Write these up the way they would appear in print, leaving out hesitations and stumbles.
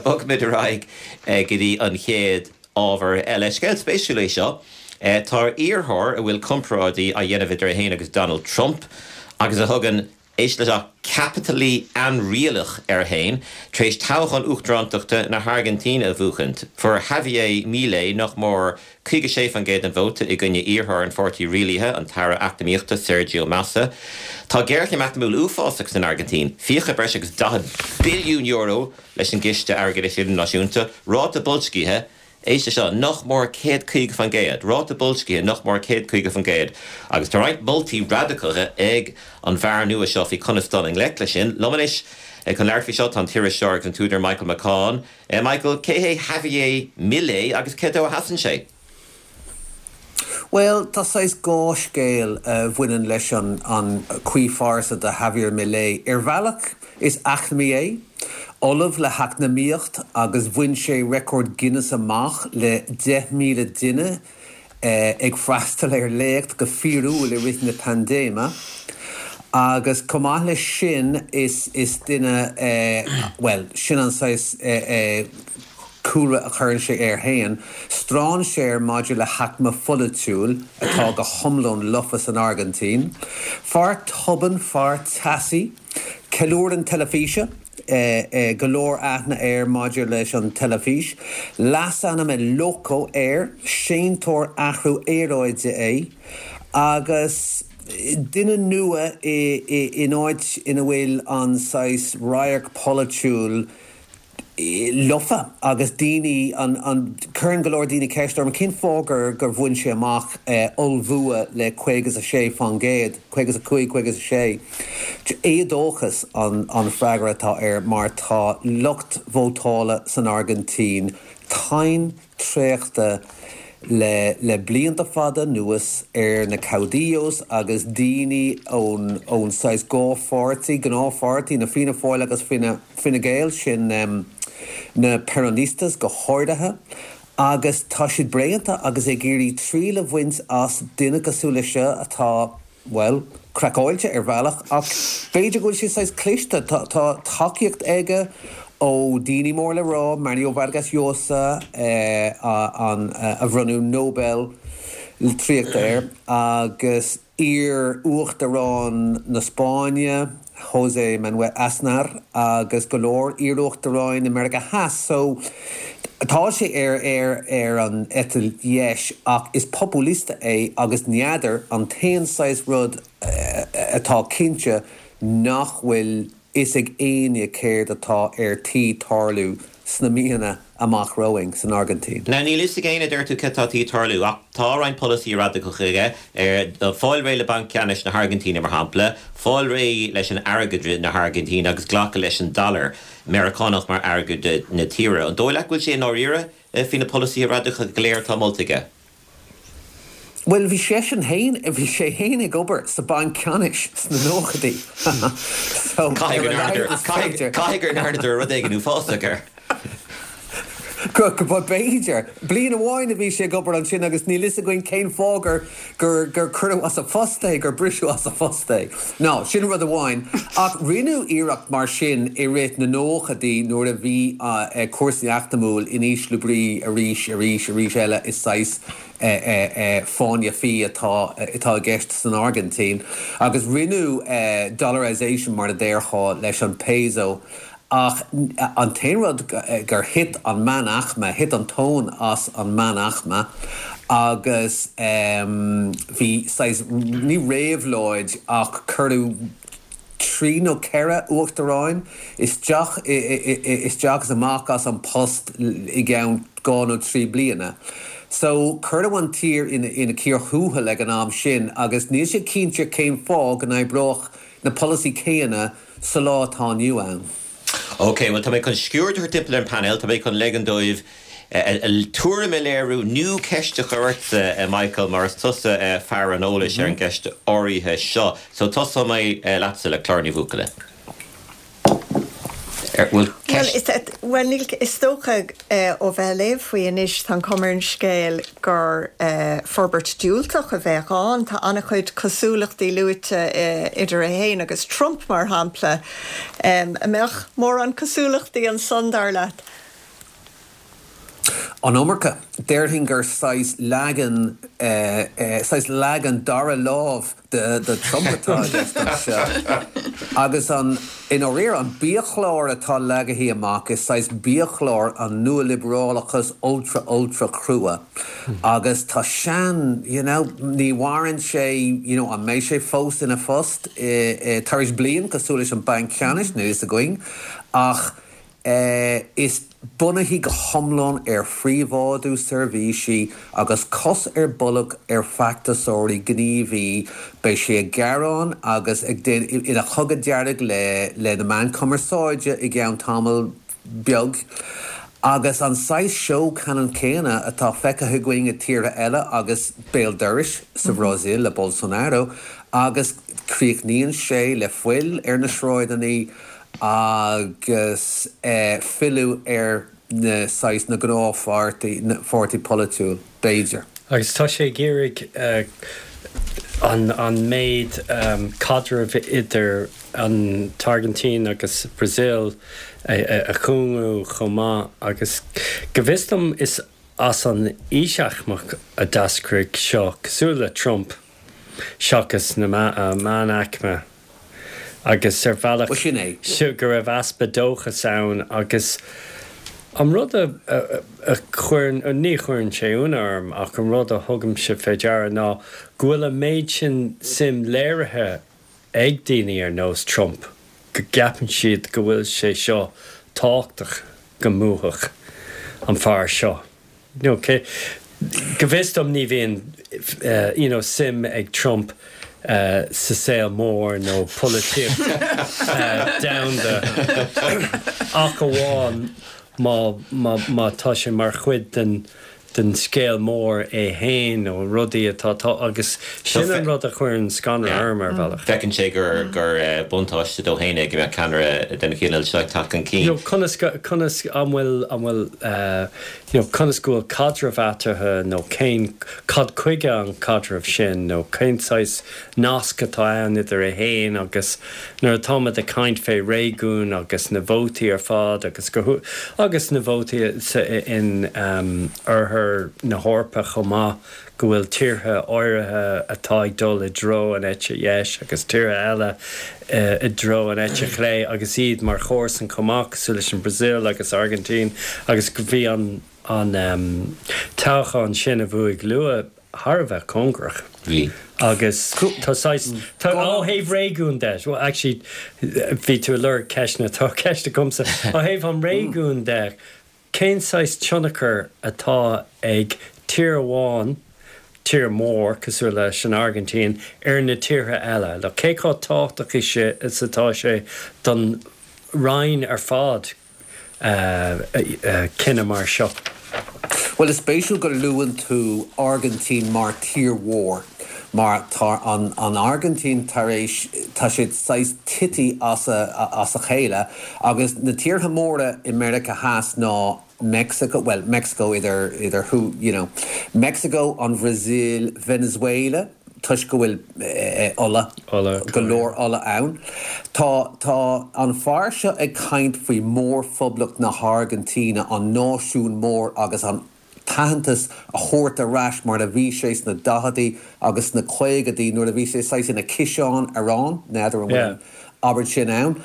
Bogfaimid ar aghaidh go dtí an chéad ábhar eile. Scéal spéisiúil é seo. Tá iarrthóir a bhfuil comparáidí á dhéanamh idir é féin agus Donald Trump agus a thugann, éist leis seo, 'caipitilí ainrialach' air féin, tar éis toghchán uachtarántachta na hAirgintíne a bhuachaint. Fuair Javier Milei nach mór 56% den vóta i gcoinne iarrthóir an pháirtí rialaithe, an tAire Eacnamaíochta Sergio Massa. Tá géarchéim eacnamúil uafásach san Airgintín, fiacha breis agus €40 billiún leis an gCiste Airgeadais Idirnáisiúnta, ráta boilscithe, éist leis seo, nach mór 150%, ráta boilscithe nach mór 150%, agus tá roinnt moltaí radacacha ag an bhfear nua seo faoi conas dul i ngleic leis sin. Liom anois chun labhairt faoi seo tá an t-iriseoir agus an t-údar Michael McCaughan. Michael, cé hé Javier Milei agus cé dó a sheasann sé? Bhuel, tá saghas dhá scéal a bhaineann leis an an croíphearsa de Javier Milei. Ar bhealach, is eacnamaí é, ollamh le heacnamaíocht agus bhain sé record Guinness amach le 10,000 duine ag freastal ar léacht go fíorúil i rith na paindéime. Agus chomh maith leis sin, is is duine, bhuel, sin an saghas cúlra a chuireann sé air féin, strainséir maidir le haicme pholaitiúil atá go hiomlán lofa san Airgintín. Fear tobann, fear teasaí, ceiliúrann teilifíse, go leor aithne air maidir leis an teilifís. Leasainm El Loco air, séantóir athrú aeráide é agus duine nua in áit ina bhfuil an saghas radharc polaitiúil lofa agus daoine, an, an, cuireann go leor daoine ceist orm cén fáth gur, gur bhain sé amach ollbhua le 56%, 55, 56. Éadóchas an, an freagra atá air mar tá lucht vótála san Airgintín tinn traochta le le blianta fada anuas ar na caudillos agus daoine ón ón saghas dhá pháirtí, gnáthpháirtí, na Fianna Fáil agus Fine Fine Gael, sin na Peronistas go háirithe, agus tá siad bréanta agus ag iarraidh triail a bhaint as duine cosúil leis seo atá bhuel, craiceáilte ar bhealach, ach b'fhéidir go bhfuil sé saghas cliste. Tá tacaíocht aige ó daoine mór le rá, Mario Vargas Llosa, an a bhronnadh Nobel Litríochta air, agus iar-uachtarán na Spáinne, José Manuel Aznar agus go leor iar-uachtaráin i Meiriceá Theas. So, tá sé ar ar ar an eite dheis ach is populista é agus n'fheadar, an t-aon saghas rud atá cinnte nach bhfuil fhios ag éinne céard atá ar tí tarlú sna míonna amach romhainn san Airgintín. Now níl fhios ag éinne, a deir tú, céard atá tí tarlú, ach tá roinnt polasaí radacacha aige, ar fáil réidh le Banc Ceannais na hAirgintíne, mar shampla, fáil réidh leis an airgeadra na hAirgintíne agus glacadh leis an dollar Meiriceánach mar airgeadra na tíre. An dóigh leat go bhfuil sé i ndáiríre faoi na polasaithe radacacha go léir atá molta aige? Bhuel, bhí seisean féin, bhí sé féin ag obair sa Banc Ceannais sna nóchaidí. So, ar a laghad is féidir. Caithfidh go ndearnadar rud éigin uafásach air. Go, go, b'fhéidir. Bliain amháin a bhí sé ag obair ansin agus níl fhios againn cén fáth gur, gur, gur cuireadh as a phost é, gur briseadh as a phost é. Ná, sin rud amháin. Ach rinneadh iarracht mar sin i rith na nóchaidí nuair a bhí cúrsaí eacnamúil in ísle brí arís, arís, arís eile is saghas fáinne fí atá atá i gceist san Airgintín. Agus rinneadh dollarization mar a déarfá leis an peso Ach an t-aon rud gur thit an meánaicme, thit an tóin as an meánaicme agus bhí saghas, ní réabhlóid ach cuireadh trí nó ceithre uachtaráin isteach, isteach is amach as an post i gceann dhá nó trí bliana. So cuireadh an tír ina cíor thuathail ag an am sin agus níl sé cinnte cén fáth go n-oibreodh na polasaí céanna sa lá atá inniu ann. Ok, bhuel tá mé chun sciuird a thabhairt timpeall ar an bpainéal, tá mé chun leigean dóibh a dtuairim a léiriú nó ceist a chur ortsa, Michael, mar is tusa fear an eolais ar an gceist áirithe seo. So tosóidh mé leatsa le Clár Ní Bhuachalla. Bhfuil ceist? Bhuel, níl, is dócha ó bheith ag léamh faoi anois, tá an chuma ar an scéal gur forbairt diúltach a bheadh ann. Tá an-chuid cosúlachtaí luaite idir é féin agus Trump, mar shampla. An mbeadh mórán cosúlachtaí ansan, dar leat? An iomarca. Déarfainn gur saghas leagan, saghas leagan dara lámh de Trump atá i gceist anseo. Agus an, i ndáiríre, an biachlár atá leagaithe amach, is saghas biachlár an nualiobrálachas ultra ultra chrua. Agus tá sean, you know, ní mhaireann sé, you know, an mbeidh sé fós ina phost tar éis bliain cosúil leis an Banc Ceannais, níl fhios againn. Ach. Is bunaithe go hiomlán ar phríobháidiú seirbhísí agus cos ar bolg ar feachtasóirí gníomhaí, beidh sé ag gearán agus ag déanamh ina chogadh dearg le le na meáin cumarsáide i gceann tamall beag. Agus an saghas seó ceannann céanna atá feicthe againn i tíortha eile agus béal dorais sa Bhrasaíl le Bolsonaro agus críochnaíonn sé le fuil ar na sráideanna agus filleadh ar na saghas na gnáthpháirtí, pháirtí polaitiúil, b'fhéidir. Agus tá sé ag iarraidh an an méid caidrimh idir an tAirgintín agus Brazil a chúngú chomh maith agus go bhfios dom is as an ísealaicme a d'eascraigh seo, cosúil le Trump, seachas na meánaicme. agus ar bhealach Bhuel, sin é. go raibh easpa dóchas ann agus an rud a chuireann, ní chuireann sé ionadh orm ach an rud a thugaimse fé deara ná go bhfuil an méid sin suim léirithe ag daoine ar nós Trump go gceapann siad go bhfuil sé seo tábhachtach go mbuafadh an fear seo. You know, cé, go bhfios dom ní bhíonn you know suim ag Trump sa saol mór nó polaitíocht domhanda ach amháin má, má, má tá sé mar chuid den, den scéal mór é féin nó rudaí atá, tá, agus sin an rud a chuireann scanradh orm ar bhealach. Feiceann sé gur, gur buntáiste dó féin é go mbeadh ceannaire den chineál seo ag teacht chun cinn. You know, conas, conas, an bhfuil, an bhfuil, you know, conas go bhfuil caidreamh eatarthu nó cén, cad chuige an caidreamh sin nó cén saghas nasc atá ann idir é féin agus nuair atáimid ag caint fé réigiún agus na vótaí ar fad agus go, agus na vótaí sa, in oirthear na hEorpa chomh maith go bhfuil tíortha áirithe atá ag dul i dtreo an eite dheis agus tíortha eile i dtreo an eite chlé agus iad mar chomharsan chomh maith, cosúil leis an Brazil agus Argentina agus bhí an an toghchán sin a bhuaigh Lula thar a bheith cóngarach. Bhí. Agus tá saghas, tá, ó thaobh réigiún de, well actually bhí tú ag lorg ceisteanna, tá ceist agamsa, ó thaobh an réigiúin de, Cén saghas tionchar atá ag tír amháin, tír mór cosúil leis an Airgintín, ar na tíortha eile? Like, cé chomh tábhachtach is atá sé don roinn ar fad cinneadh mar seo? Bhuel, is spéisiúil go luann tú Airgintín mar tír mhór, mar tá an Airgintín tar éis, tá siad saghas tite as a chéile agus na tíortha móra i Meiriceá Theas ná Mexico, bhuel, Mexico idir, idir who, you know, Mexico, an Bhrasaíl, Venezuela, toisc go bhfuil ola, go leor ola ann. Tá, tá an fear seo ag caint faoi mhórphoblacht na hAirgintíne, an náisiún mór agus an t-aitheantas a thabhairt ar ais mar a bhí sé sna daicheadaí agus sna caogadaí nuair a bhí sé saghas ina ciseán aráin, n'fheadar an bhfuil an abairt sin ann,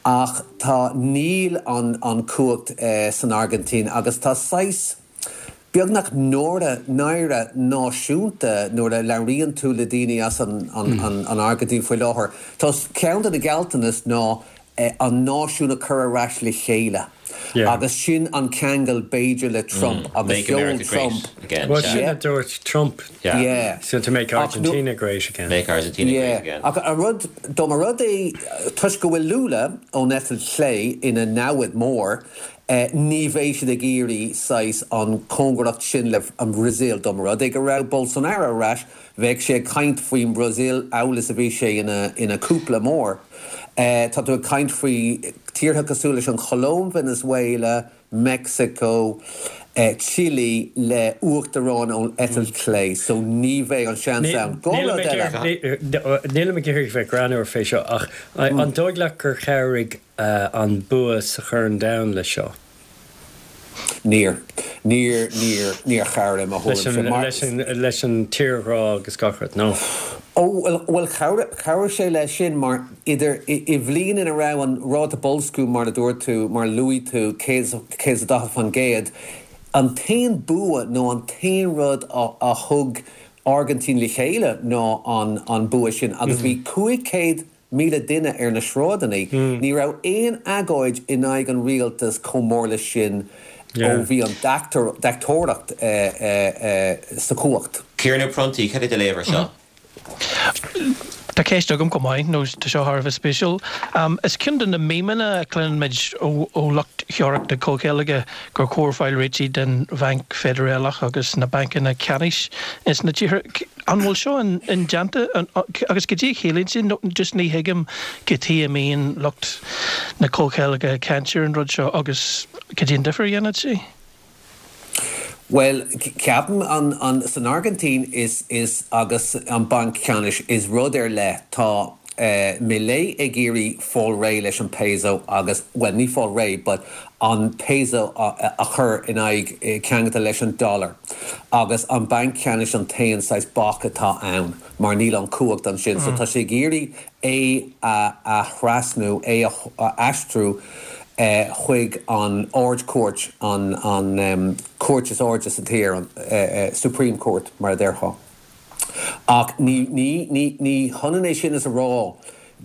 ach tá, níl an, an cumhacht san Airgintín agus tá saghas beagnach náire, náire náisiúnta nuair a labhraíonn tú le daoine as an, an, an Airgintín faoi láthair. Tá ceann de na gealltanas ná an náisiún a chur ar ais le chéile agus sin an ceangal b'fhéidir le Trump agus Make America sheol Trump great again. Bhuel sin a dúirt Trump. Yeah. So to make Argentina great again. Make Argentina great again. Ach an rud, dá mba rud é, toisc go bhfuil Lula ón eite chlé ina namhaid mór, ní bheidh siad ag iarraidh saghas an cóngaracht sin le an Bhrasaíl. Dá mba rud é go raibh Bolsonaro ar ais, Bheadh sé ag caint faoin mBrasaíl amhail is a bhí sé ina cúpla mór. Tá tú ag caint faoi tíortha cosúil leis an Cholóim, Venezuela, Meicsiceo, Chile le uachtaráin ón eitilt chlé. So ní bheidh an seans ann. Dhá rud eile. Nílim ag iarraidh bheith greannmhar fé seo ach an dóigh leat gur chabhraigh an bua sa Chorn Domhanda le seo? Níor. Níor, níor, níor chabhraigh i mo thuairimse mar. Leis an, leis an tírghrá agus gach rud, nó? Ó, bhuel, bhuel chabhraigh, chabhraigh sé leis sin mar idir, i, i bhliain ina raibh an ráta boilsciú mar a dúirt tú, mar a luaigh tú, 140%, an t-aon bua nó an t-aon rud a, a thug Airgintín le chéile ná an, an bua sin agus bhí 500,000 duine ar na sráideanna. Ní raibh aon agóid in aghaidh an rialtas chomh mór leis sin ó bhí an deachtóireacht sa chumhacht. Ciarán Ó Pronntaigh, cad é do léamh ar seo? Tá ceist agam chomh maith, nó tá seo thar a bheith spéisiúil. Is ceann de na memeanna a chluineann muid ó lucht theoiric na comhcheilge gur chóir fáil réití den Bhanc Feidearálach agus na bancanna ceannais ins na tíortha. An bhfuil seo indéanta? Agus cad é a chiallaíonn sé? Nó just ní thuigim cad chuige a mbíonn lucht na comhcheilge ag caint ar an rud seo agus cad é an difear a dhéanfadh sé? Bhuel, ceapaim an, an, san Airgintín is, is, agus an Banc Ceannais, is rud ar leith, tá Milei ag iarraidh fáil réidh leis an peso agus, bhuel, ní fáil réidh, but an peso a, a chur in aghaidh, ceangailte leis an dollar agus an Banc Ceannais an t-aon saghas bac atá ann mar níl an cumhacht ansin. So tá sé ag iarraidh é a thrasnú, é a aistriú chuig an Ard-Chúirt, an chúirt is airde sa tír, an Supreme Court mar a déarfá. Ach ní hionann é sin is a rá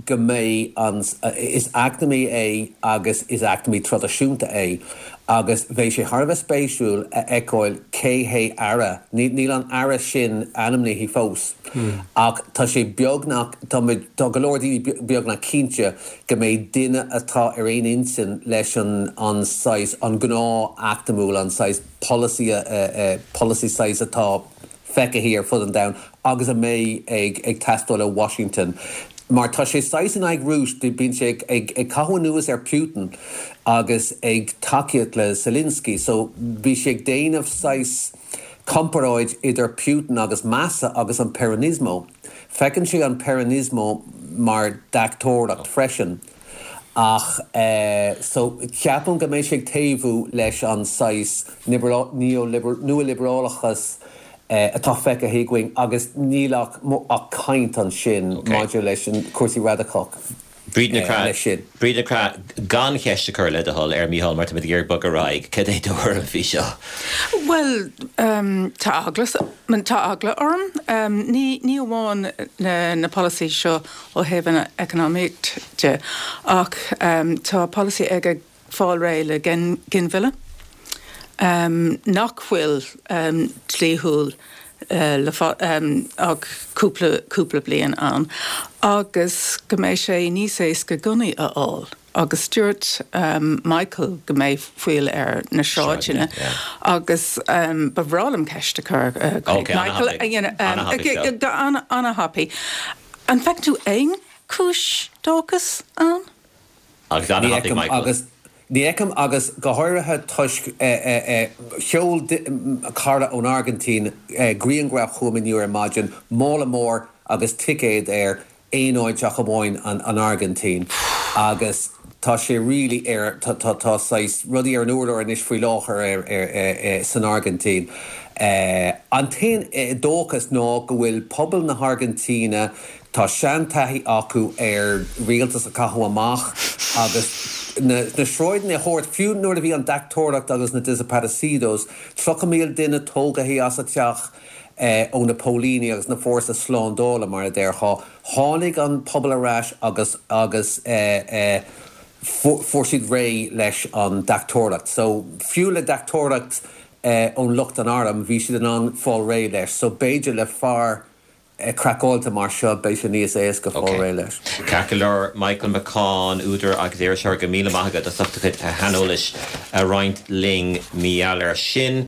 go mbeidh an, is eacnamaí é agus is eacnamaí traidisiúnta é agus bheidh sé thar a bheith spéisiúil a fheiceáil cé hé aire, níl an aire sin ainmnithe fós ach tá sé beagnach, tá muid, tá go leor daoine beagnach cinnte go mbeidh duine atá ar aon intinn leis an an saghas, an gnáth eacnamúil, an saghas polasaí, polasaí saghas atá feicthe ar fud an domhain agus a mbeidh ag ag teastáil ó Washington. Mar tá sé saghas in aghaidh Rúis, bíonn sé ag ag ag caitheamh anuas ar Putin agus ag tacaíocht le Zelensky so bhí sé ag déanamh saghas comparáid idir Putin agus Massa agus an Peronismo. Feiceann sé an Peronismo mar deachtóireacht freisin ach so ceapaim go mbeidh sé ag taobhú leis an saghas nua-liobrálachas atá feicthe againn agus níl ach ach caint ansin maidir leis an cúrsaí radacach Bríd Nic Craith, Bríd Nic Craith, gan cheist a chur le do thoil ar Mícheál mar táimid ag iarraidh bogadh ar aghaidh, cad é do thuairim faoi seo? Bhuel, tá eagla, tá eagla orm. Ní, ní amháin na, na polasaí seo ó thaobh an eacnamaíocht de ach tá polasaí aige fáil réidh le ginmhilleadh nach bhfuil dlíthiúil le ach cúpla, cúpla bliain ann agus go mbeidh sé níos éasca gunnaí a fháil agus dúirt Michael go mbeidh fuil ar na sráideanna agus ba bhreá liom ceist a chur chuig Michael an-thapaidh. An bhfeiceann tú aon chúis dóchais ann? Agus an-thapaidh Michael. Ní fheicim agus go háirithe toisc sheol cara ón Airgintín grianghraf chugam inniu ar maidin, mála mór agus ticéad air, aon áit ach amháin an Airgintín agus tá sé really ar, tá tá saghas rudaí ar an urlár anois faoi láthair san Airgintín. An t-aon dóchas ná go bhfuil pobal na hAirgintíne, Tá seantaithí acu ar rialtas a chaitheamh amach agus na sráideanna a thabhairt, fiú nuair a bhí an deachtóireacht agus na desaparecidos, 30,000 duine tógaithe as a dteach ó na póilíní agus na fórsa slándála, mar a déarfá. Tháinig an pobal ar ais agus agus fuair siad réidh leis an deachtóireacht. So, fiú le deachtóireacht ón lucht an airm, bhí siad in ann fáil réidh leis. So, b'fhéidir le fear craiceáilte mar seo, beidh sé níos éasca fáil réidh leis. Ceart go leor, Michael McCaughan, údar agus iriseoir, go míle maith agat as ucht do chuid shaineolais a roinnt linn mar gheall air sin.